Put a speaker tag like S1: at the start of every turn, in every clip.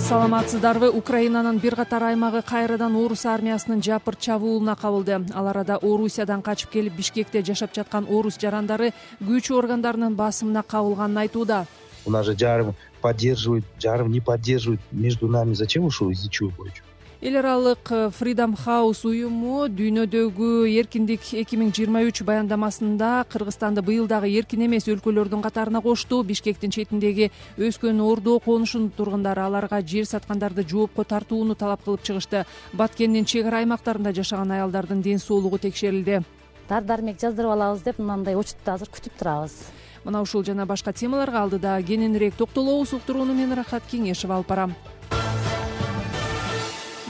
S1: Саламатсыздарбы? Украинанын бир катар аймагы кайрадан орус армиясынын жапырт чабуулуна кабылды. Ал арада Орусиядан качып келип Бишкекте жашап жаткан орус жарандары күч органдарынын басымына кабылганын айтууда.
S2: У нас же жарым поддерживают, жарым не поддерживают. Между нами зачем ушул, из-за чего бойчу?
S1: Эл аралык Freedom House уюму дүйнөдөгү эркиндик 2023 баяндамасында Кыргызстанды быйыл дагы эркин эмес өлкөлөрдүн катарына кошту. Бишкектин четиндеги өскөн Ордо конушунун тургундары аларга жер саткандарды жоопко тартууну талап кылып чыгышты. Баткендин чек ара аймактарында жашаган аялдардын ден соолугу текшерилди.
S3: Дар-дармек жаздырып алабыз деп мындай учутту азыр күтүп турабыз.
S1: Мына ушул жана башка темаларга алдыда кененирээк токтолобуз. Уктурууну мен Рахат Кеңешева алып барам.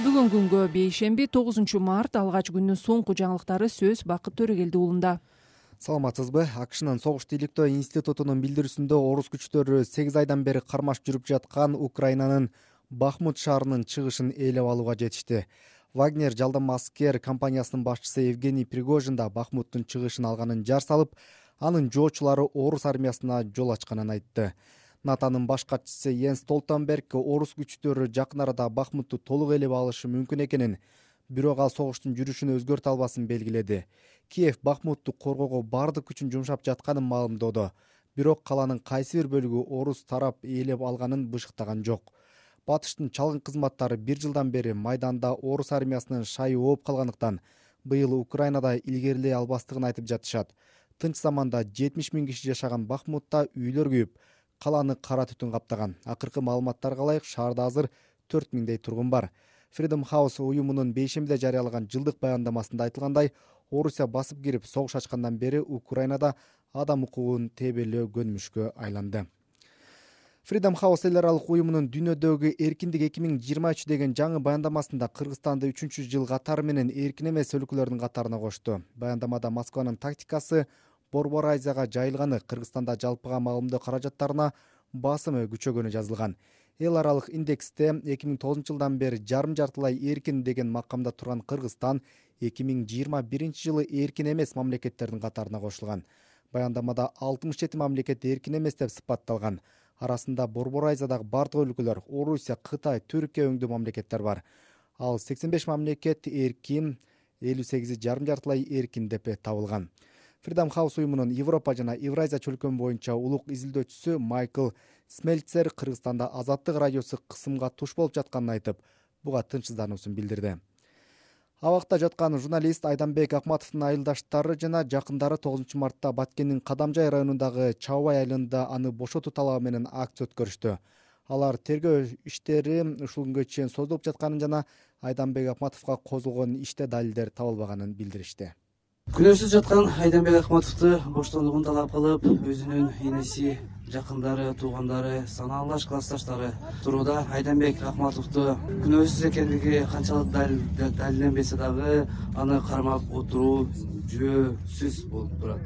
S1: Бүгүн күнгө бейшемби 9 март алгач күндүн соңку жаңылыктары сөз Бакыт Төрөгелди уулунда.
S4: Саламатсызбы? АКШнын согуш иликтөө институтунун билдирүүсүндө орус күчтөрү 8 айдан бери кармаш жүрүп жаткан Украинанын Бахмут шаарынын чыгышын ээлеп алууга жетишти. Вагнер жалдама аскер компаниясынын башчысы Евгений Пригожин да Бахмуттун чыгышын алганын жар салып, анын жоочулары орус армиясына жол ачканын айтты. НАТОнун баш катчысы Йенс Столтенберг орус күчтөрү жакын арада Бахмутту толук ээлеп алышы мүмкүн экенин, бирок ал согуштун жүрүшүн өзгөртө албасын белгиледи. Киев Бахмутту коргоого бардык күчүн жумшап жатканын маалымдоодо, бирок каланын кайсы бир бөлүгү орус тарап ээлеп алганын бышыктаган жок. Батыштын чалгын кызматтары 1 жылдан бери майданда орус армиясынын шайы ооп калгандыктан быйыл Украинада илгерилей албастыгын айтып жатышат. Тынч заманда 70 000 киши жашаган Бахмутта үйлөр күйүп, каланы кара түтүн каптаган. Акыркы маалыматтарга ылайык шаарда азыр 4000дей тургун бар. Freedom House уюмунун бейшембиде жарыялаган жылдык баяндамасында айтылгандай, Орусия басып кирип согуш ачкандан бери Украинада адам укугун тебелөө көнмүшкө айланды. Freedom House эл аралык уюмунун дүйнөдөгү эркиндик 2023 деген жаңы баяндамасында Кыргызстанды 3 жыл катары менен эркин эмес өлкөлөрдүн катарына кошту. Баяндамада Москванын тактикасы Борбор Азияга жайылганы, Кыргызстанда жалпыга маалымдоо каражаттарына басымы күчөгөнү жазылган. Эл аралык индексте 2009 жылдан бери жарым-жартылай эркин деген макамда турган Кыргызстан 2021 жылы эркин эмес мамлекеттердин катарына кошулган. Баяндамада 67 мамлекет эркин эмес деп сыпатталган. Арасында Борбор Азиядагы бардык өлкөлөр, Орусия, Кытай, Түркия өңдүү мамлекеттер бар. Ал 85 мамлекет эркин, 58 жарым-жартылай эркин деп табылган. Freedom House уюмунун Европа жана Евразия чөлкөмү боюнча улук изилдөөчүсү Майкл Смельцер Кыргызстанда азаттык радиосу кысымга туш болуп жатканын айтып, буга тынчсыздануусун билдирди. Абакта жаткан журналист Айданбек Акматовдун айылдаштары жана жакындары 9 мартта Баткендин Кадамжай районундагы Чабай айылында аны бошотуу талабы менен акция өткөрүштү. Алар тергөө иштери ушул күнгө чейин созулуп жатканын жана Айданбек Акматовго козголгон иште далилдер табылбаганын билдиришти.
S5: Күнөөсүз жаткан Айданбек Акматовду боштондугун талап кылып, өзүнүн энеси, жакындары, туугандары, санаалаш классташтары турууда. Айданбек Акматовду күнөөсүз экендиги канчалык далилденбесе дагы аны кармап отуруу жөөсүз болуп турат.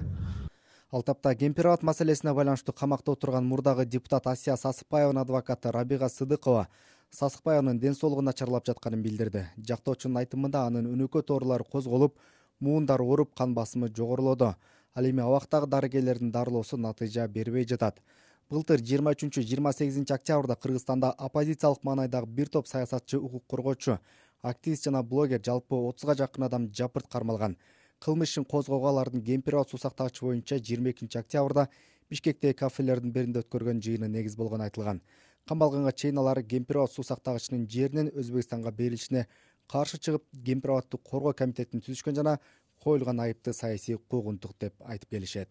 S4: Ал тапта Кемпирабад маселесине байланыштуу камакта отурган мурдагы депутат Асия Сасыкбаеванын адвокаты Рабига Сыдыкова Сасыкбаеванын ден соолугу начарлап жатканын билдирди. Жактоочунун айтымында анын өнөкөт оорулары козголуп, муундар ооруп, кан басымы жогорулоду. Ал эми абактагы дарыгерлердин дарылоосу натыйжа бербей жатат. Былтыр 23-28 октябрда Кыргызстанда оппозициялык маанайдагы бир топ саясатчы, укук коргоочу, активист жана блогер жалпы 30га жакын адам жапырт кармалган. Кылмыш ишин козгоого алардын Кемпирабад суу сактагычы боюнча 22 октябрда Бишкектеги кафелердин биринде өткөргөн жыйыны негиз болгону айтылган. Камалганга чейин алар Кемпирабад суу сактагычынын жеринин Өзбекстанга берилишине каршы чыгып, Кемпирабадды коргоо комитетин түзүшкөн жана коюлган айыпты саясий куугунтук деп айтып келишет.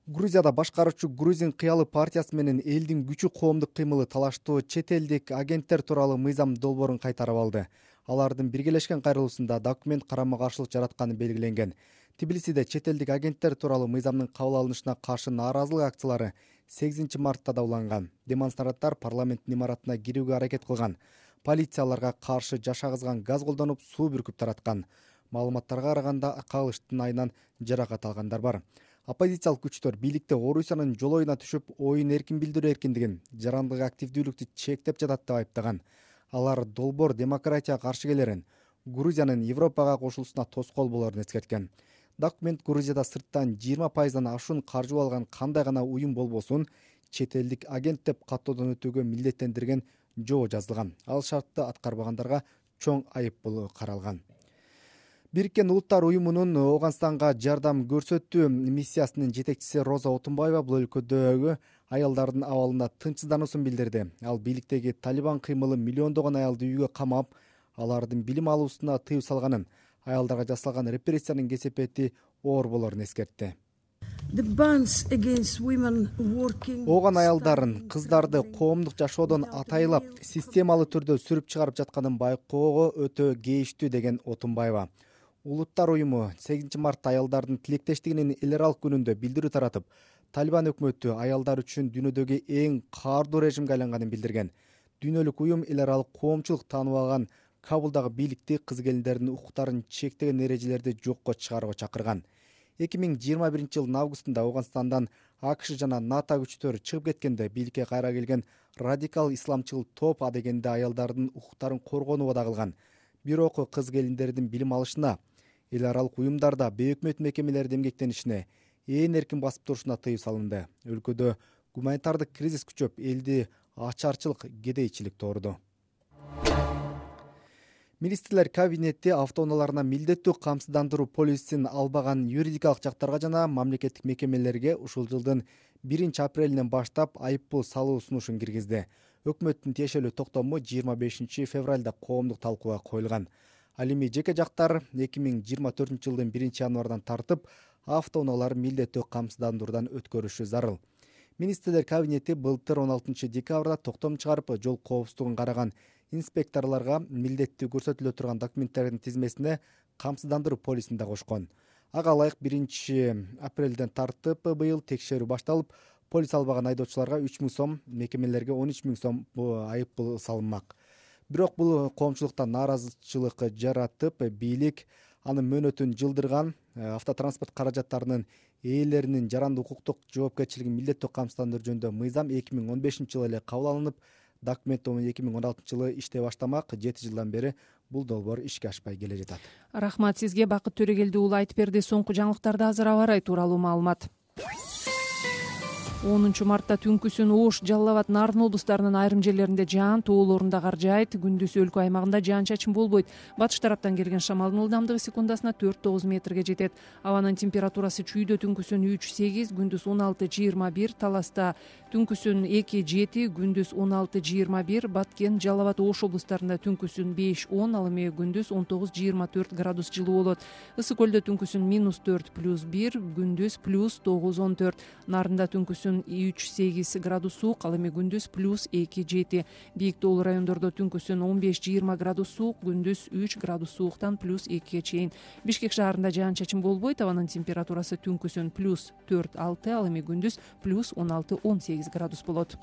S4: Грузияда башкаруучу Грузин кыялы партиясы менен элдин күчү коомдук кыймылы талаштуу чет элдик агенттер тууралуу мыйзам долбоорун кайтарып алды. Алардын биргелешкен кайрылуусунда документ карама каршылык жаратканы белгиленген. Тбилисиде чет элдик агенттер тууралуу мыйзамдын кабыл алынышына каршы нааразылык акциялары 8 мартта да уланган. Демонстранттар парламенттин имаратына кирүүгө аракет кылган. Полиция аларга каршы жаша кызган газ колдонуп, суу бүркүп тараткан. Маалыматтарга караганда кагылыштын айынан жаракат алгандар бар. Оппозициялык күчтөр бийликте Орусиянын жолоюна түшүп, оюн эркин билдирүү эркиндигин, жарандык активдүүлүктү чектеп жатат деп айыптаган. Алар долбоор демократияга каршы келерин, Грузиянын Европага кошулуусуна тоскоол болорун эскерткен. Документ Грузияда сырттан 20% ашуун каржы алган кандай гана уюм болбосун, чет элдик агент деп каттоодон өтүүгө милдеттендирген жоо жазылган. Ал шартты аткарбагандарга чоң айыппул каралган. Бириккен Улуттар уюмунун Ооганстанга жардам көрсөтүү миссиясынын жетекчиси Роза Отунбаева бул өлкөдөгү аялдардын абалына тынчсыздануусун билдирди. Ал бийликтеги Талибан кыймылы миллиондогон аялды үйгө камап, алардын билим алуусуна тыюу салганын, аялдарга жасалган репрессиянын кесепети оор болорун эскертти. Ооган аялдарын, кыздарды коомдук жашоодон атайлап, системалуу түрдө сүрүп чыгарып жатканын байкоого өтө кейиштүү деген Отунбаева. Улуттар уюму 8 мартта аялдардын тилектештигинин эл аралык күнүндө билдирүү таратып, Талибан өкмөтү аялдар үчүн дүйнөдөгү эң каардуу режимге айланганын билдирген. Дүйнөлүк уюм эл аралык коомчулук тааныбаган Кабулдагы бийликти кыз келиндердин укуктарын чектеген эрежелерди жокко чыгарууга чакырган. 2021-жылдын августунда Ооганстандан АКШ жана НАТО күчтөрү чыгып кеткенде бийликке кайра келген радикал исламчыл топ адегенде аялдардын укуктарын коргонууга да кылган. Бирок кыз келиндердин билим алышына, эл аралык уюмдарда бейөкмөт мекемелерде эмгектенишине, ээн эркин басып турушуна тыюу салынды. Өлкөдө гуманитардык кризис күчөп, элди ачарчылык, кедейчилик тоорду. Министрлер кабинети автоунааларына милдеттүү камсыздандыруу полисин албаган юридикалык жактарга жана мамлекеттик мекемелерге ушул жылдын 1-апрелинен баштап айыппул салуу сунушун киргизди. Өкмөттүн тиешелүү токтому 25 февралда коомдук талкууга коюлган. Ал эми жеке жактар 2024-жылдын 1-январдан тартып автоунаалар милдеттүү камсыздандыруудан өткөрүшү зарыл. Министрлер кабинети былтыр 16 декабрда токтом чыгарып, жол коопсуздугун караган инспекторлорго милдеттүү көрсөтүлө турган документтердин тизмесине камсыздандыруу полисин да кошкон. Ага ылайык 1-апрелден тартып быйыл текшерүү башталып, полис албаган айдоочуларга 3000 сом, мекемелерге 13000 сом айыппул салынмак. Бирок бул коомчулуктан нааразычылык жаратып, бийлик анын мөөнөтүн жылдырган. Автотранспорт каражаттарынын ээлеринин жарандык укуктук жоопкерчилигин милдеттүү камсыздандыруу жөнүндө мыйзам 2015-жылы эле кабыл алынып, документ 2016-жылы иштей баштамак. 7 жылдан бери бул долбоор ишке ашпай келе жатат.
S1: Рахмат сизге. Бакыт Төрөгелди уулу айтып берди. Соңку жаңылыктарды азыр аба ырайы тууралуу маалымат. 10 мартта түнкүсүн Ош, Жалал Абад, Нарын облустарынын айрым жерлеринде жаан, тоолорунда кар жаайт. Күндүз өлкө аймагында жаан-чачын болбойт. Батыш тараптан келген шамалдын ылдамдыгы секундасына 4-9 метрге жетет. Абанын температурасы чүйдө түнкүсүн 3-8, күндүз 16-21, Таласта түнкүсүн 2-7, күндүз 16-21, Баткен, Жалал Абад, Ош облустарында түнкүсүн 5-10, ал эми күндүз 19-24 градус жылуу болот. Ысык көлдө түнкүсүн -4+1, күндүз +9-14, Нарында түнкүсүн 3-8 градус суук, ал эми күндүз +2-7. Бийик тоолуу райондордо түнкүсүн 15-20 градус суук, күндүз 3 градус сууктан +2-ге чейин. Бишкек шаарында жаан-чачын болбойт. Абанын температурасы түнкүсүн +4-6, ал эми күндүз +16-18 градус болот.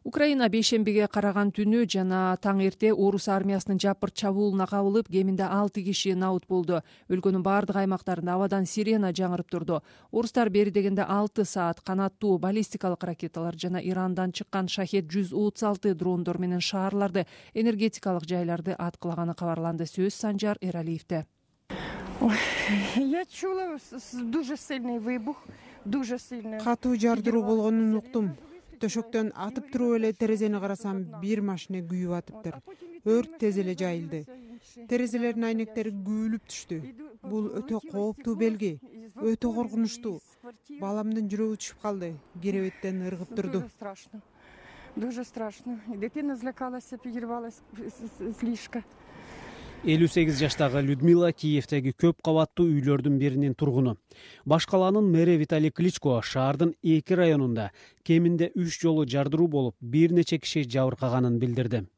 S1: Украина бейшембиге караган түнү жана таң эрте орус армиясынын жапырт чабуулуна кабылып, кеминде 6 киши набыт болду. Өлкөнүн бардык аймактарында абадан сирена жаңырып турду. Орустар бери дегенде 6 саат канаттуу баллистикалык ракеталар жана Ирандан чыккан Шахет-136 дрондор менен шаарларды, энергетикалык жайларды аткылаганы кабарланды. Сөз Санжар Эралиевде.
S6: Я чула дуже сильный выбух, дуже сильный.
S7: Катуу жардыруу болгонун уктум. Төшөктөн атып туруп эле терезени карасам, бир машина күйүп атыптыр. Өрт тез эле жайылды. Терезелердин айнектери күйүлүп түштү. Бул өтө кооптуу белги, өтө коркунучтуу. Баламдын жүрөгү түшүп калды, керебеттен ыргып турду.
S6: Дуже страшно. Дитина злякалась, переживалась слишком.
S8: 58 жаштагы Людмила Киевдеги көп кабаттуу үйлөрдүн биринин тургуну. Баш калаанын мэри Виталий Кличко шаардын 2 районунда кеминде 3 жолу жардыруу болуп, бир нече киши жабыркаганын билдирди.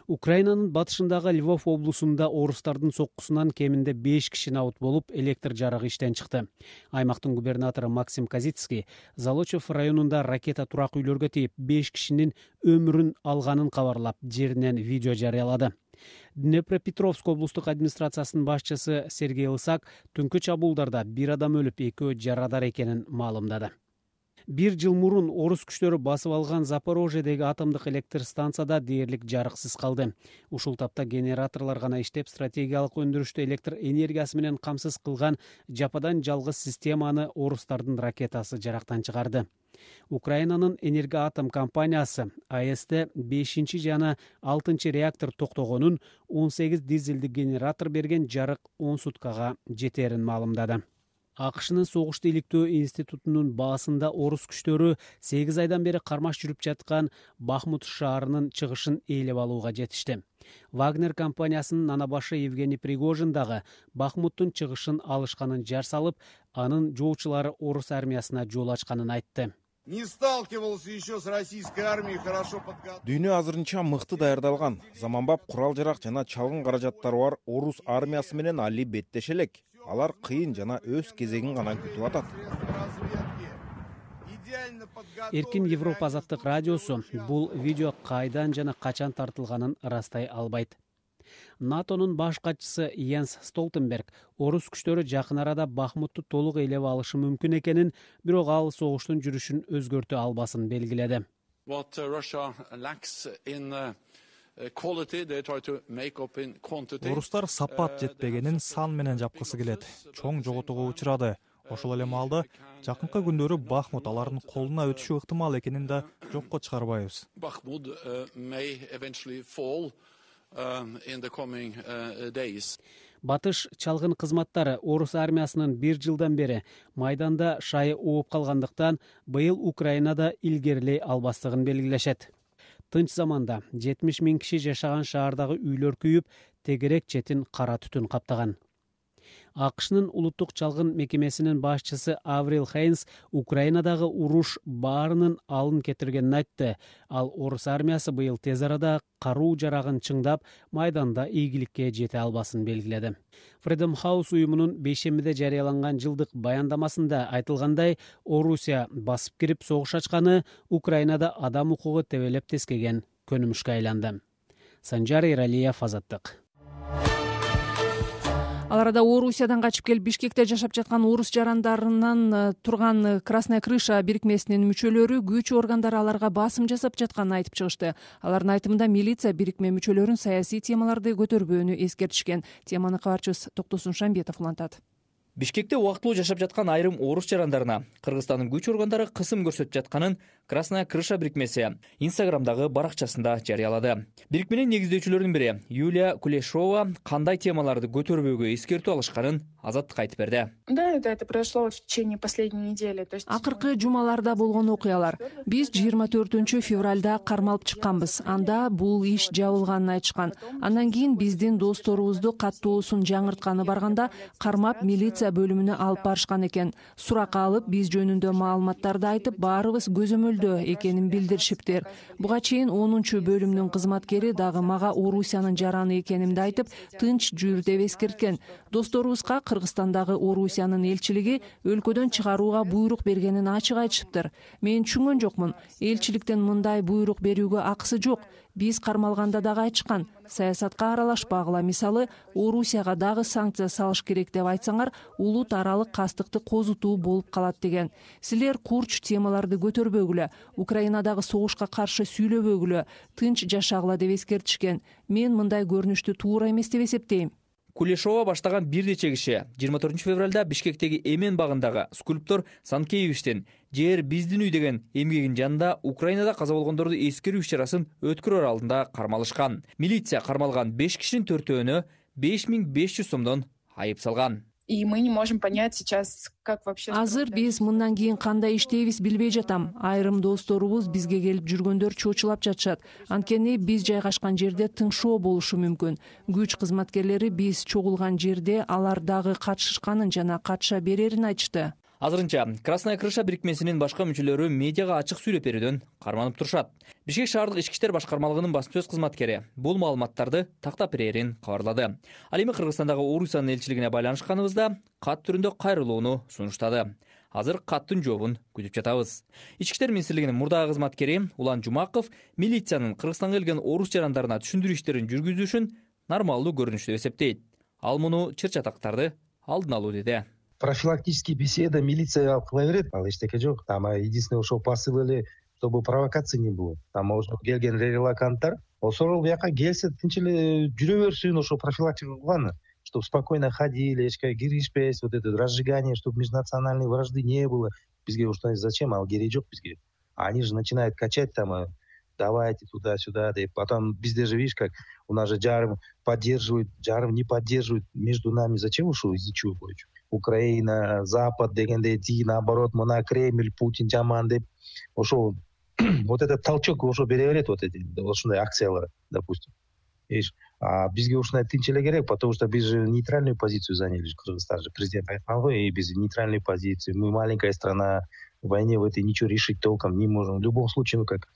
S8: Украинанын батышындагы Львов облусунда орустардын соккусунан кеминде 5 киши набыт болуп, электр жарыгы иштен чыкты. Аймактын губернатору Максим Казицкий Залочев районунда ракета турак үйлөргө тийип, 5 кишинин өмүрүн алганын кабарлап, жеринен видео жарыялады. Днепропетровск облустук администрациясынын башчысы Сергей Лысак түнкү чабуулдарда 1 адам өлүп, 2 жарадар экенин маалымдады. 1 жыл мурун орус күчтөрү басып алган Запорожьедеги атомдук электр станцияда дээрлик жарыксыз калды. Ушул тапта генераторлор гана иштеп, стратегиялык өндүрүштү электр энергиясы менен камсыз кылган жападан жалгыз системаны орустардын ракетасы жарактан чыгарды. Украинанын Энергоатом компаниясы АЭСте 5 жана 6 реактор токтогонун, 18 дизелдик генератор берген жарык 10 суткага жетерин маалымдады. АКШнын согушту иликтөө институтунун баасында орус күчтөрү 8 айдан бери кармаш жүрүп жаткан Бахмут шаарынын чыгышын ээлеп алууга жетишти. Вагнер компаниясынын анабашы Евгений Пригожин дагы Бахмуттун чыгышын алышканын жар салып, анын жоочулары орус армиясына жол ачканын айтты.
S9: Не сталкивался еще с российской армией хорошо подготовлен.
S10: Дүйнө азырынча мыкты даярдалган, заманбап курал-жарак жана чалгын каражаттары бар орус армиясы менен али беттеш элек. Алар кыйын жана өз кезегин гана күтүп атат.
S8: Эркин Европа азаттык радиосу бул видео кайдан жана качан тартылганын ырастай албайт. НАТОнун баш катчысы Йенс Столтенберг орус күчтөрү жакын арада Бахмутту толук ээлеп алышы мүмкүн экенин, бирок ал согуштун жүрүшүн өзгөртө албасын белгиледи.
S11: Орустар сапат жетпегенин сан менен жапкысы келет. Чоң жоготууга учурады. Ошол эле маалда жакынкы күндөрү Бахмут алардын колуна өтүшү ыктымал экенин да жокко чыгарбайбыз.
S8: Батыш чалгын кызматтары орус армиясынын 1 жылдан бери майданда шайы ооп калгандыктан быйыл Украинада илгерилей албастыгын белгилешет. Тынч заманда 70 000 киши жашаган шаардагы үйлөр күйүп, тегерек четин кара түтүн каптаган. АКШнын улуттук чалгын мекемесинин башчысы Аврил Хейнс Украинадагы уруш баарынын алын кетиргенин айтты. Ал орус армиясы быйыл тез арада каруу жарагын чыңдап, майданда ийгиликке жете албасын белгиледи. Freedom House уюмунун бейшембиде жарыяланган жылдык баяндамасында айтылгандай, Орусия басып кирип согуш ачканы Украинада адам укугу тебелеп тескеген көнүмүшкө айланды. Санжар Иралиев, Азаттык.
S1: Ал арада Орусиядан качып келип Бишкекте жашап жаткан орус жарандарынан турган Красная крыша бирикмесинин мүчөлөрү күч органдары аларга басым жасап жатканын айтып чыгышты. Алардын айтымында милиция бирикме мүчөлөрүн саясий темаларды көтөрбөөнү эскертишкен. Теманы кабарчыбыз Токтосун Шамбетов улантат.
S12: Бишкекте убактылуу жашап жаткан айрым орус жарандарына Кыргызстандын күч органдары кысым көрсөтүп жатканын Красная крыша бирикмеси Инстаграмдагы баракчасында жарыялады. Бирикменин негиздөөчүлөрүнүн бири Юлия Кулешова кандай темаларды көтөрбөөгө эскертүү алышканын Азаттыкка айтып берди.
S13: Да, это произошло в течение последней недели.
S1: Акыркы жумаларда болгон окуялар. Биз 24 февралда кармалып чыкканбыз. Анда бул иш жабылганын айтышкан. Андан кийин биздин досторубузду каттоосун жаңыртканы барганда кармап милиция бөлүмүнө алып барышкан экен. Сурак алып, биз жөнүндө маалыматтарды айтып, баарыбыз көзөмөлдө экенин билдиришиптир. Буга чейин 10 бөлүмдүн кызматкери дагы мага Орусиянын жараны экенимди айтып, тынч жүр деп эскерткен. Досторубузга Кыргызстандагы Орусиянын элчилиги өлкөдөн чыгарууга буйрук бергенин ачык айтышыптыр. Мен түшүнгөн жокмун. Элчиликтен мындай буйрук берүүгө акысы жок. Биз кармалганда дагы айтышкан, саясатка аралашпагыла, мисалы, Орусияга дагы санкция салыш керек деп айтсаңар, улут аралык кастыкты козутуу болуп калат деген. Силер курч темаларды көтөрбөгүлө, Украинадагы согушка каршы сүйлөбөгүлө, тынч жашагыла деп эскертишкен. Мен мындай көрүнүштү туура эмес деп эсептейм.
S12: Кулешова баштаган бир нече киши 24 февралда Бишкектеги Эмен багындагы скульптор Санкеевичтин «Жер биздин үй» деген эмгегинин жанында Украинада каза болгондорду эскерүү иш-чарасын өткөрөр алдында кармалышкан. Милиция кармалган 5 кишинин 4-өөнө 5500 сомдон айып салган.
S13: И мы не можем понять сейчас, как вообще...
S1: Азыр биз мындан кийин кандай иштейбиз билбей жатам. Айрым досторубуз бизге келип жүргөндөр чочулап жатышат. Анткени биз жайгашкан жерде тыңшоо болушу мүмкүн. Күч кызматкерлери биз чогулган жерде алар дагы катышышканын жана катыша берерин айтышты.
S12: Азырынча Красная крыша бирикмесинин башка мүчөлөрү медиага ачык сүйлөп берүүдөн карманып турушат. Бишкек шаардык ички иштер башкармалыгынын басма сөз кызматкери бул маалыматтарды тактап берерин кабарлады. Ал эми Кыргызстандагы Орусиянын элчилигине байланышканыбызда кат түрүндө кайрылууну сунуштады. Азыр каттын жообун күтүп жатабыз. Ички иштер министрлигинин мурдагы кызматкери Улан Жумаков милициянын Кыргызстанга келген орус жарандарына түшүндүрүү иштерин жүргүзүшүн нормалдуу көрүнүш деп эсептейт. Ал муну чыр чатактарды алдын алуу деди.
S2: профилактический беседа милицияга алып кыла берет, ал эчтеке жок. Там единственное ошол посыл эле, чтобы провокация не было. Там ошо келген релаканттар ошол бияка келсе тынч эле жүрө берсин, ошо профилактика кылганы, чтобы спокойно ходили, эчке киришпес, вот это разжигание, чтобы межнациональной вражды не было. Бизге ушундай зачем, ал кереги жок бизге. Они же начинают качать там, давайте туда-сюда, деп. Потом bizde же, видишь, как у нас же жарым поддерживают, жарым не поддерживают. Между нами зачем ушул, из-за чего бойчу? Украина, Запад дегенде ти, наоборот, мына Кремль, Путин жаман деп. Ошол вот этот толчок ошо бере берет, вот эти ушундай акциялар, допустим. Видишь, а бизге ушундай тынч эле керек, потому что биз же нейтральную позицию заняли, Кыргызстан же президент айткан го, и биз нейтральную позицию. Мы маленькая страна, в войне в этой ничего решить толком не можем. В любом случае, ну как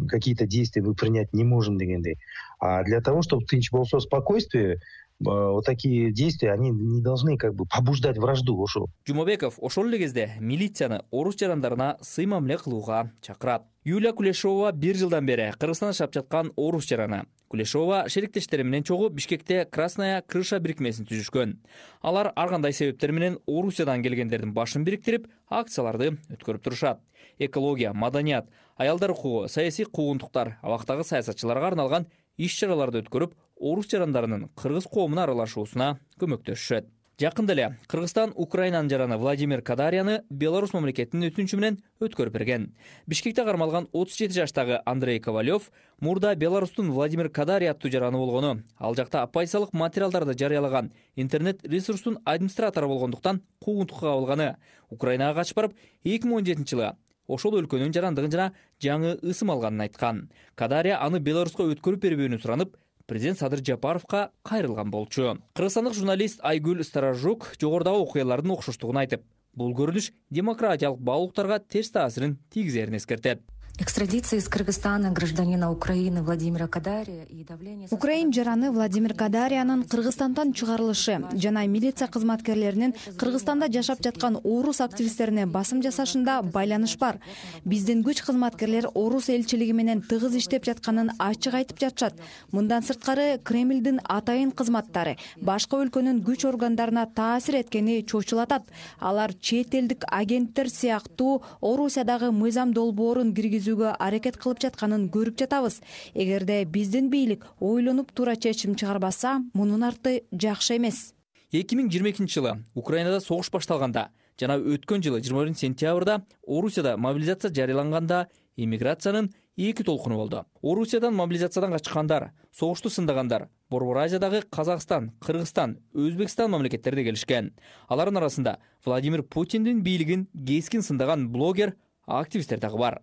S2: какие-то действия мы принять не можем дегендей. А для того, чтобы тынч болсо спокойствие, вот такие действия, они не должны как бы побуждать вражду. Ошол
S12: Жумабеков ошол эле кезде милицияны орус жарандарына сый мамиле кылууга чакырат. Юлия Кулешова 1 жылдан бери Кыргызстанда жашап жаткан орус жараны. Кулешова шериктештери менен чогуу Бишкекте Красная крыша бирикмесин түзүшкөн. Алар ар кандай себептер менен Орусиядан келгендердин башын бириктирип, акцияларды өткөрүп турушат. Экология, маданият, аялдар укугу, саясий куугунтуктар, абактагы саясатчыларга арналган иш-чараларды өткөрүп, орус жарандарынын кыргыз коомуна аралашуусуна көмөктөшүшөт. Жакында эле Кыргызстан Украинанын жараны Владимир Кадарияны Беларусь мамлекетинин өтүнүчү менен өткөрүп берген. Бишкекте кармалган 37 жаштагы Андрей Ковалев мурда Беларустун Владимир Кадария аттуу жараны болгону, ал жакта оппозициялык материалдарды жарыялаган интернет-ресурстун администратору болгондуктан куугунтукка кабылганы, Украинага качып барып 2017 жылы ошол өлкөнүн жарандыгын жана жаңы ысым алганын айткан. Кадария аны Беларуска өткөрүп бербөөнү суранып, президент Садыр Жапаровка кайрылган болчу. Кыргызстандык журналист Айгүл Старажук жогорудагы окуялардын окшоштугун айтып, бул көрүнүш демократиялык баалуулуктарга терс таасирин тийгизерин эскертет.
S14: Экстрадиция из Кыргызстана гражданина Украины Владимира Кадария и давление...
S15: Украин жараны Владимир Кадариянын Кыргызстандан чыгарылышы жана милиция кызматкерлеринин Кыргызстанда жашап жаткан орус активисттерине басым жасашында байланыш бар. Биздин күч кызматкерлер орус элчилиги менен тыгыз иштеп жатканын ачык айтып жатышат. Мындан сырткары Кремлдин атайын кызматтары башка өлкөнүн күч органдарына таасир эткени чочулатат. Алар чет элдик агенттер сыяктуу Орусиядагы мыйзам долбоорун киргизүүгө аракет кылып жатканын көрүп жатабыз. Эгерде биздин бийлик ойлонуп туура чечим чыгарбаса, мунун арты жакшы эмес.
S12: 2022 жылы Украинада согуш башталганда жана өткөн жылы 21 сентябрда Орусияда мобилизация жарыяланганда иммиграциянын 2 толкуну болду. Орусиядан мобилизациядан качкандар, согушту сындагандар Борбор Азиядагы Казакстан, Кыргызстан, Өзбекстан мамлекеттерине келишкен. Алардын арасында Владимир Путиндин бийлигин кескин сындаган блогер, активисттер дагы бар.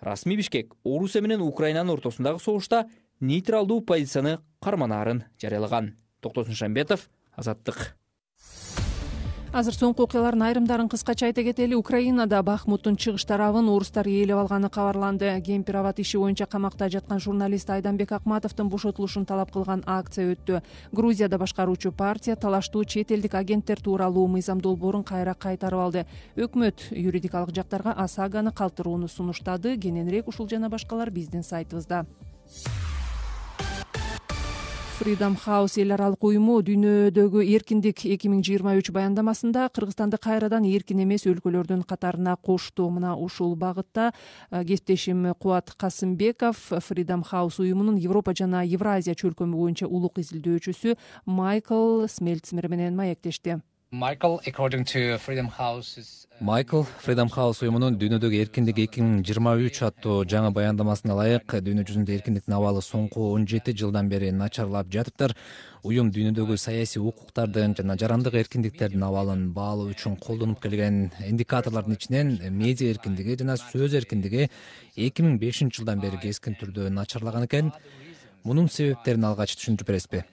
S12: Расмий Бишкек Орусия менен Украинанын ортосундагы согушта нейтралдуу позицияны карманаарын жарыялаган. Токтосун Шамбетов, Азаттык.
S1: Азыр соңку окуялардын айрымдарын кыскача айта кетели. Украинада Бахмуттун чыгыш тарабын орустар ээлеп алганы кабарланды. Кемпир-абад иши боюнча камакта жаткан журналист Айданбек Акматовдун бошотулушун талап кылган акция өттү. Грузияда башкаруучу партия талаштуу чет элдик агенттер тууралуу мыйзам долбоорун кайра кайтарып алды. Өкмөт юридикалык жактарга ОСАГаны калтырууну сунуштады. Кененирээк ушул жана башкалар биздин сайтыбызда. Freedom House эл аралык уюму дүйнөдөгү эркиндик 2023 баяндамасында Кыргызстанды кайрадан эркин эмес өлкөлөрдүн катарына кошту. Мына ушул багытта кесиптешим Кубат Касымбеков Freedom House уюмунун Европа жана Евразия чөлкөмү боюнча улук изилдөөчүсү Майкл Смельцмер менен маектешти.
S16: Майкл, Freedom House уюмунун дүйнөдөгү эркиндик 2023 аттуу жаңы баяндамасына ылайык дүйнө жүзүндө эркиндиктин абалы соңку 17 жылдан бери начарлап жатыптыр. Уюм дүйнөдөгү саясий укуктардын жана жарандык эркиндиктердин абалын баалоо үчүн колдонуп келген индикаторлордун ичинен медиа эркиндиги жана сөз эркиндиги 2005 жылдан бери кескин түрдө начарлаган экен. Мунун себептерин алгач түшүндүрүп бересизби?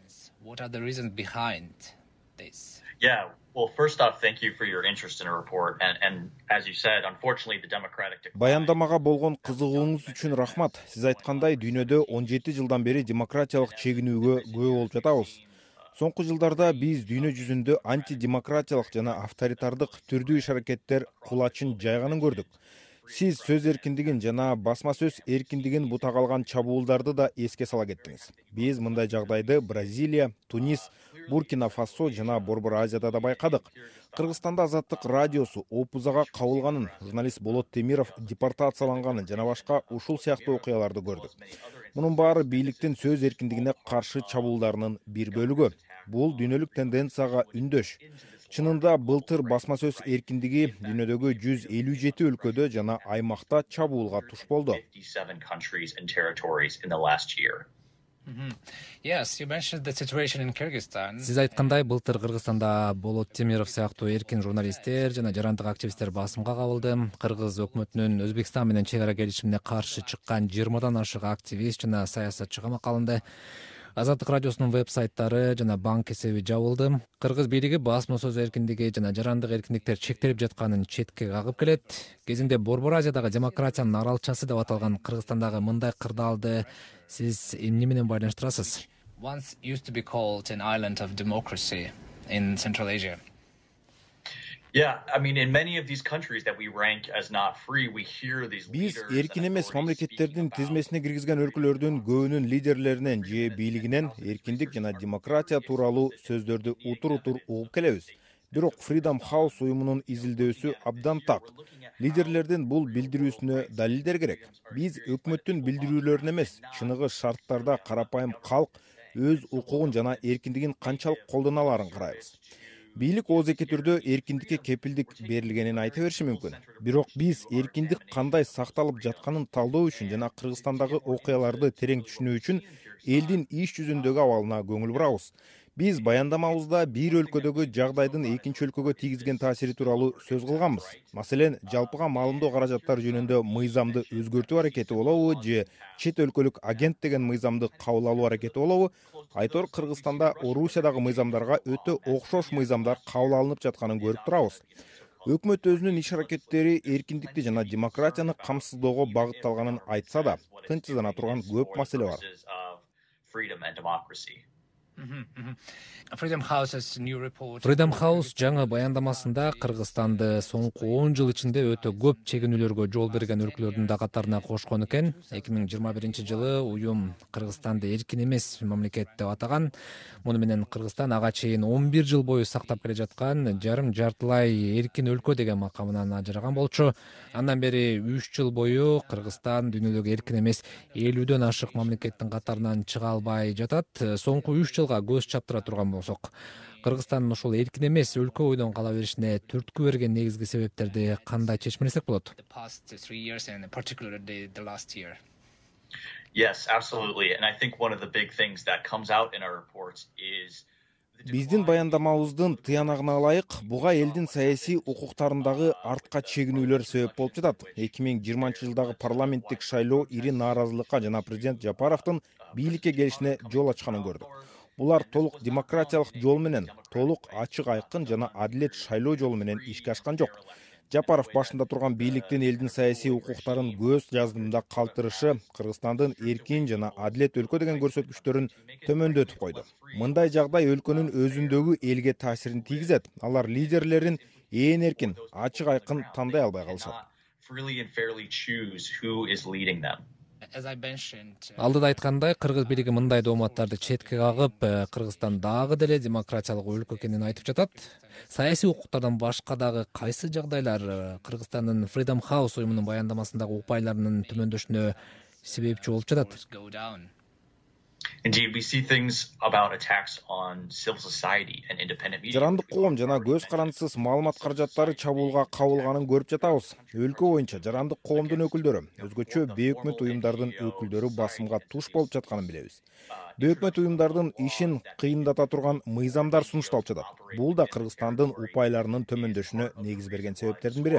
S17: Well, first off, thank you for your interest in our report. And as you said, unfortunately, the democratic...
S10: Баяндамага болгон кызыгууңуз үчүн рахмат. Сиз айткандай, дүйнөдө 17 жылдан бери демократиялык чегинүүгө күбө болуп жатабыз. Соңку жылдарда биз дүйнө жүзүндө антидемократиялык жана авторитардык түрдүү иш-аракеттер кулачын жайганын көрдүк. Сиз сөз эркиндигин жана басма сөз эркиндигин бута калган чабуулдарды да эске сала кеттиңиз. Биз мындай жагдайды Бразилия, Тунис, Буркина Фасо жана Борбор Азияда да байкадык. Кыргызстанда Азаттык радиосу опузага кабылганын, журналист Болот Темиров депортацияланганын жана башка ушул сыяктуу окуяларды көрдүк. Мунун баары бийликтин сөз эркиндигине каршы чабуулдарынын бир бөлүгү. Бул дүйнөлүк тенденцияга үндөш. Чынында былтыр басма сөз эркиндиги дүйнөдөгү 157 өлкөдө жана аймакта чабуулга туш болду.
S16: Сиз айткандай, былтыр Кыргызстанда Болот Темиров сыяктуу эркин журналисттер жана жарандык активисттер басымга кабылды. Кыргыз өкмөтүнүн Өзбекстан менен чек ара келишимине каршы чыккан 20дан ашык активист жана саясатчы камакка алынды. Азаттык радиосунун веб-сайттары жана банк эсеби жабылды. Кыргыз бийлиги басма сөз эркиндиги жана жарандык эркиндиктер чектелип жатканын четке кагып келет. Кезинде Борбор Азиядагы демократиянын аралчасы деп аталган Кыргызстандагы мындай кырдаалды сиз эмне менен байланыштырасыз?
S18: Once used to be called an island of democracy in Central Asia.
S17: Yeah, I mean, in many of these countries that we rank as not free, we hear these
S10: Биз
S17: leaders.
S10: эркин эмес мамлекеттердин тизмесине киргизген өлкөлөрдүн көбүнүн лидерлеринен же бийлигинен эркиндик жана демократия тууралуу сөздөрдү утур-утур угуп келебиз. Бирок Freedom House уюмунун изилдөөсү абдан так. Лидерлердин бул билдирүүсүнө далилдер керек. Биз өкмөттүн билдирүүлөрүн эмес, чыныгы шарттарда карапайым калк өз укугун жана эркиндигин канчалык колдоно аларын карайбыз. Бийлик оозеки түрдө эркиндикке кепилдик берилгенин айта бериши мүмкүн. Бирок биз эркиндик кандай сакталып жатканын талдоо үчүн жана Кыргызстандагы окуяларды терең түшүнүү үчүн элдин иш жүзүндөгү абалына көңүл бурабыз. Биз баяндамабызда бир өлкөдөгү жагдайдын экинчи өлкөгө тийгизген таасири тууралуу сөз кылганбыз. Маселен, жалпыга маалымдоо каражаттары жөнүндө мыйзамды өзгөртүү аракети болобу же чет өлкөлүк агент деген мыйзамды кабыл алуу аракети болобу? Айтор Кыргызстанда Орусиядагы мыйзамдарга өтө окшош мыйзамдар кабыл алынып жатканын көрүп турабыз. Өкмөт өзүнүн иш аракеттери эркиндикти жана демократияны камсыздоого багытталганын айтса да, тынчсыздана турган көп маселе бар.
S18: Freedom House's new report.
S16: Freedom House жаңы баяндамасында Кыргызстанды соңку 10 жыл ичинде өтө көп чегинүүлөргө жол берген өлкөлөрдүн да катарына кошкон экен. 2021-жылы уюм Кыргызстанды эркин эмес мамлекет деп атаган. Муну менен Кыргызстан ага чейин 11 жыл бою сактап келе жаткан жарым жартылай эркин өлкө деген макамынан ажыраган болчу. Андан бери 3 жыл бою Кыргызстан дүйнөдөгү эркин эмес 50дөн ашык мамлекеттин катарынан чыга албай жатат. Соңку 3 жылга көз чаптыра турган болсок, Кыргызстандын ушул эркин эмес өлкө бойдон кала беришине түрткү берген негизги себептерди кандай чечмелесек болот?
S17: Yes, absolutely. And I think one of the big things that comes out in our reports is
S10: Биздин баяндамабыздын тыянагына ылайык, буга элдин саясий укуктарындагы артка чегинүүлөр себеп болуп жатат. 2020-жылдагы парламенттик шайлоо ири нааразылыкка жана президент Жапаровдун бийликке келишине жол ачканын көрдүк. Булар толук демократиялык жол менен, толук ачык айкын жана адилет шайлоо жолу менен ишке ашкан жок. Жапаров башында турган бийликтин элдин саясий укуктарын көз жаздымда калтырышы Кыргызстандын эркин жана адилет өлкө деген көрсөткүчтөрүн төмөндөтүп койду. Мындай жагдай өлкөнүн өзүндөгү элге таасирин тийгизет. Алар лидерлерин ээн эркин, ачык айкын тандай албай калышат.
S16: Алдыда айткандай, кыргыз бийлиги мындай дооматтарды четке кагып, Кыргызстан дагы деле демократиялык өлкө экенин айтып жатат. Саясий укуктардан башка дагы кайсы жагдайлар Кыргызстандын Freedom House уюмунун баяндамасындагы упайларынын төмөндөшүнө себепчи болуп жатат?
S17: Indeed, we see things about attacks on civil society and independent media.
S10: Жарандык коом жана көз карандысыз маалымат каражаттары чабуулга кабылганын көрүп жатабыз. Өлкө боюнча жарандык коомдун өкүлдөрү, өзгөчө бейөкмөт уюмдардын өкүлдөрү басымга туш болуп жатканын билебиз. Бейөкмөт уюмдардын ишин кыйындата турган мыйзамдар сунушталып жатат. Бул да Кыргызстандын упайларынын төмөндөшүнө негиз берген себептердин бири.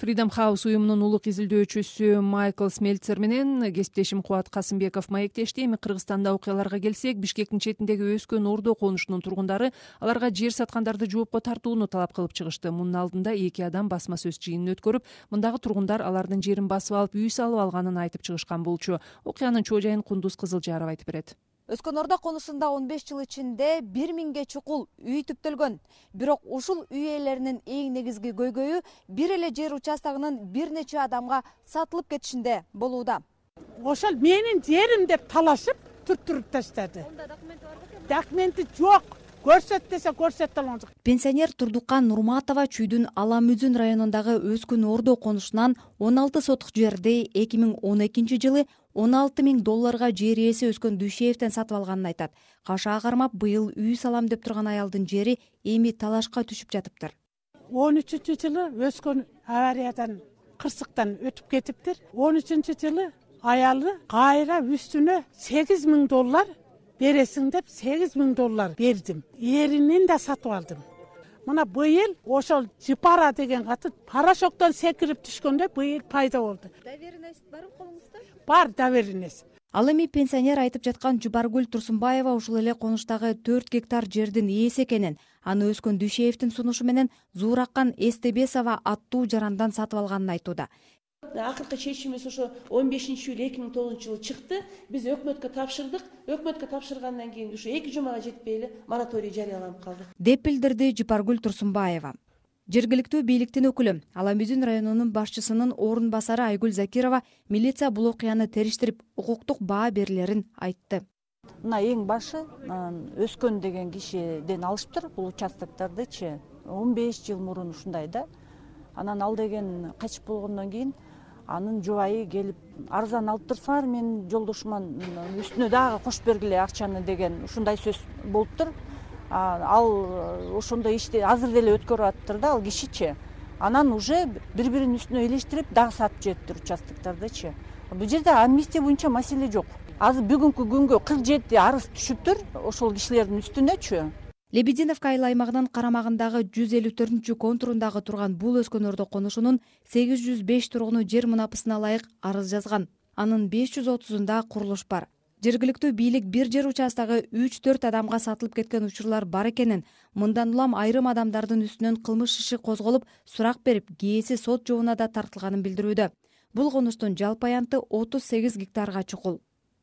S1: Freedom House уюмунун улук изилдөөчүсү Майкл Смельцер менен кесиптешим Кубат Касымбеков маектешти. Эми Кыргызстанда окуяларга келсек, Бишкектин четиндеги өскөн Ордо конушунун тургундары аларга жер саткандарды жоопко тартууну талап кылып чыгышты. Мунун алдында 2 адам басма сөз жыйынын өткөрүп, мындагы тургундар алардын жерин басып алып, үй салып алганын айтып чыгышкан болчу. Окуянын чоо жайын Кундуз Кызылжаров айтып берет.
S19: Өскөн Ордо конушунда 15 жыл ичинде 1000ге чукул үй түптөлгөн. Бирок ушул үй ээлеринин эң негизги көйгөйү бир эле жер участогунун бир нече адамга сатылып кетишинде болууда.
S20: Ошол менин жерим деп талашып туруп таштады. Документи жок. Көрсөт десе көрсөтө алган жок.
S15: Пенсионер Турдукан Нурматова Чүйдүн Аламүзүн районундагы Өскөн Ордо конушунан 16 сотук жерди 2012 жылы $16,000 жер ээси Өскөн Дүйшеевден сатып алганын айтат. Кашаа кармап быйыл үй салам деп турган аялдын жери эми талашка түшүп жатыптыр.
S20: 13-жылы Өскөн авариядан кырсыктан өтүп кетиптир. 13-жылы аялы кайра үстүнө $8,000 бересиң деп $8,000 бердим. Эринен да сатып алдым. Мына быйыл ошол Жипара деген каты парашоктон секирип түшкөндө быйыл пайда болду.
S19: Доверенность бар колуңузда?
S20: Бар доверенность.
S15: Ал эми пенсионер айтып жаткан Жубаргүл Турсунбаева ушул эле конуштагы 4 гектар жердин ээси экенин, аны Өскөн Дүйшеевдин сунушу менен Зуураккан Эстебесова аттуу жарандан сатып алганын айтууда.
S21: Акыркы чечимибиз ошо 15-июль 2009-жылы чыкты. Биз өкмөткө тапшырдык. Өкмөткө тапшыргандан кийин ушу 2 жумага жетпей эле мораторий жарыяланып калды.
S15: Деп билдирди Жупаргүл Турсунбаева. Жергиликтүү бийликтин өкүлү Аламүзүн районунун башчысынын орун басары Айгүл Закирова милиция бул окуяны териштирип, укуктук баа берилерин айтты.
S22: Мына эң башы Өскөн деген кишиден алышыптыр бул участоктардычы 15 жыл мурун ушундай да. Анан ал деген качып болгондон кийин анын жубайы келип арзан алып турсаңар мен жолдошуман үстүнө дагы кошуп бергиле акчаны деген ушундай сөз болуптур. Ал ошондой ишти азыр деле өткөрүп атыптыр да ал кишичи. Анан уже бири-биринин үстүнө элештирип дагы сатып жибептир участоктардычы. Бул жерде амнистия боюнча маселе жок. Азыр бүгүнкү күнгө 47 арыз түшүптүр ошол кишилердин үстүнөчү.
S15: Лебединовка айыл аймагынын карамагындагы 154-чү контурундагы турган бул Өскөн Ордо конушунун 805 тургуну жер мунапысына ылайык арыз жазган. Анын 530-унда курулуш бар. Жергиликтүү бийлик бир жер участогу 3-4 адамга сатылып кеткен учурлар бар экенин, мындан улам айрым адамдардын үстүнөн кылмыш иши козголуп, сурак берип, кээси сот жобуна да тартылганын билдирүүдө. Бул конуштун жалпы аянты 38 гектарга чукул.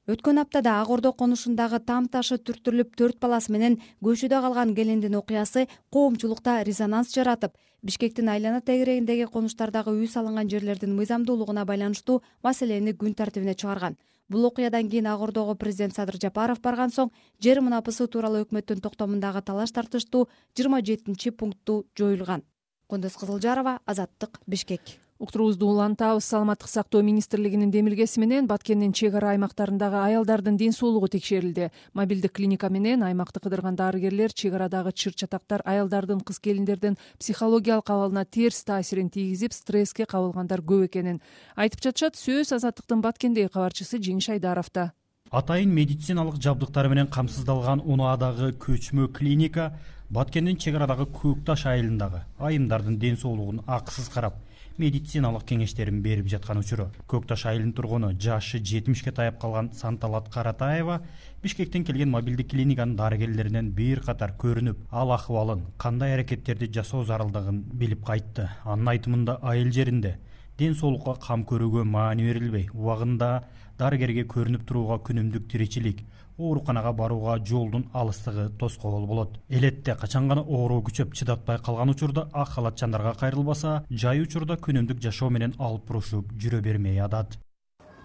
S15: Өткөн аптада Ак Ордо конушундагы там ташы түртүрүлүп 4 баласы менен көчөдө калган келиндин окуясы коомчулукта резонанс жаратып, Бишкектин айлана тегерегиндеги конуштардагы үй салынган жерлердин мыйзамдуулугуна байланыштуу маселени күн тартибине чыгарган. Бул окуядан кийин Ак Ордого президент Садыр Жапаров барган соң жер мунапысы тууралуу өкмөттүн токтомундагы талаш тартыштуу 27-пункту жоюлган. Кондос Кызылжарова, Азаттык, Бишкек.
S1: Уктуруубузду улантабыз. Саламаттык сактоо министрлигинин демилгеси менен Баткендин чек ара аймактарындагы аялдардын ден соолугу текшерилди. Мобилдик клиника менен аймакты кыдырган дарыгерлер чек арадагы чыр-чатактар аялдардын, кыз-келиндердин психологиялык абалына терс таасирин тийгизип, стресске кабылгандар көп экенин айтып жатышат. Сөз Азаттыктын Баткендеги кабарчысы Жеңиш Айдаровда.
S23: Атайын медициналык жабдыктар менен камсыздалган Унаадагы көчмө клиника Баткендин чек арадагы Көк Таш айылындагы айымдардын ден соолугун акысыз карап, медициналык кеңештерин берип жаткан учуру. Көк Таш айылынын тургуну жашы 70ке таяп калган Санталат Каратаева Бишкектен келген мобилдик клиниканын дарыгерлеринен бир катар көрүнүп, ал акыбалын, кандай аракеттерди жасоо зарылдыгын билип кайтты. Анын айтымында айыл жеринде ден соолукка кам көрүүгө маани берилбей, убагында дарыгерге көрүнүп турууга күнүмдүк тиричилик, ооруканага барууга жолдун алыстыгы тоскоол болот. Элетте качан гана оору күчөп чыдатпай калган учурда ак халатчандарга кайрылбаса, жай учурда күнүмдүк жашоо менен алып бурушуп жүрө бермей атат.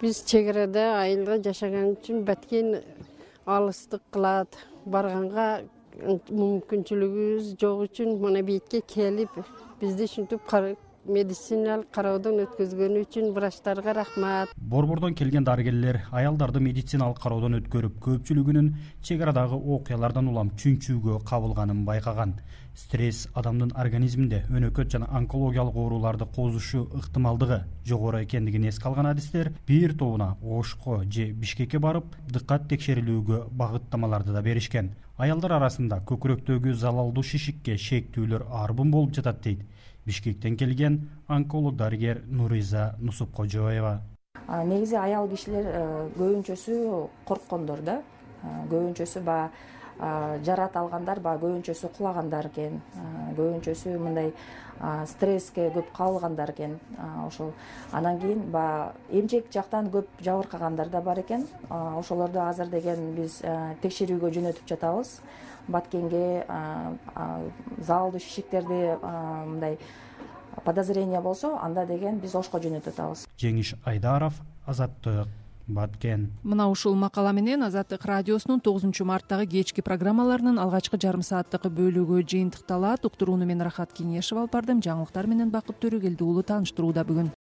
S24: Биз чек арада айылда жашаган үчүн Баткен алыстык кылат. Барганга мүмкүнчүлүгүбүз жок үчүн мына бетке келип, бизди ушинтип медициналык кароодон өткөзгөнү үчүн врачтарга рахмат.
S23: Борбордон келген дарыгерлер аялдарды медициналык кароодон өткөрүп, көпчүлүгүнүн чек арадагы окуялардан улам чүнчүүгө кабылганын байкаган. Стресс адамдын организминде өнөкөт жана онкологиялык ооруларды козушу ыктымалдыгы жогору экендигин эске алган адистер бир тобуна Ошко же Бишкекке барып, дыккат текшерилүүгө багыттамаларды да беришкен. Аялдар арасында көкүрөктөгү залалдуу шишикке шектүүлөр арбын болуп жатат дейт Бишкектен келген онколог дарыгер Нуриза Нусупкожоева.
S25: Негизи аял кишилер көбүнчөсү корккондор да. Көбүнчөсү
S3: жарат алгандар баягы көбүнчөсү кулагандар экен, көбүнчөсү мындай стресске көп кабылгандар экен. Ошол анан кийин баягы эмчек жактан көп жабыркагандар да бар экен. Ошолорду азыр деген биз текшерүүгө жөнөтүп жатабыз. Баткенге залдуу шишиктерди мындай подозрение болсо, анда деген биз Ошко жөнөтүп атабыз.
S23: Жеңиш Айдаров, Азаттык, Баткен.
S1: Мына ушул макала менен Азаттык радиосунун 9 марттагы кечки программаларынын алгачкы жарым сааттык бөлүгү жыйынтыкталат. Уктурууну мен Рахат Кеңешева алып бардым. Жаңылыктар менен Бакыт Төрөгелди уулу тааныштырууда бүгүн.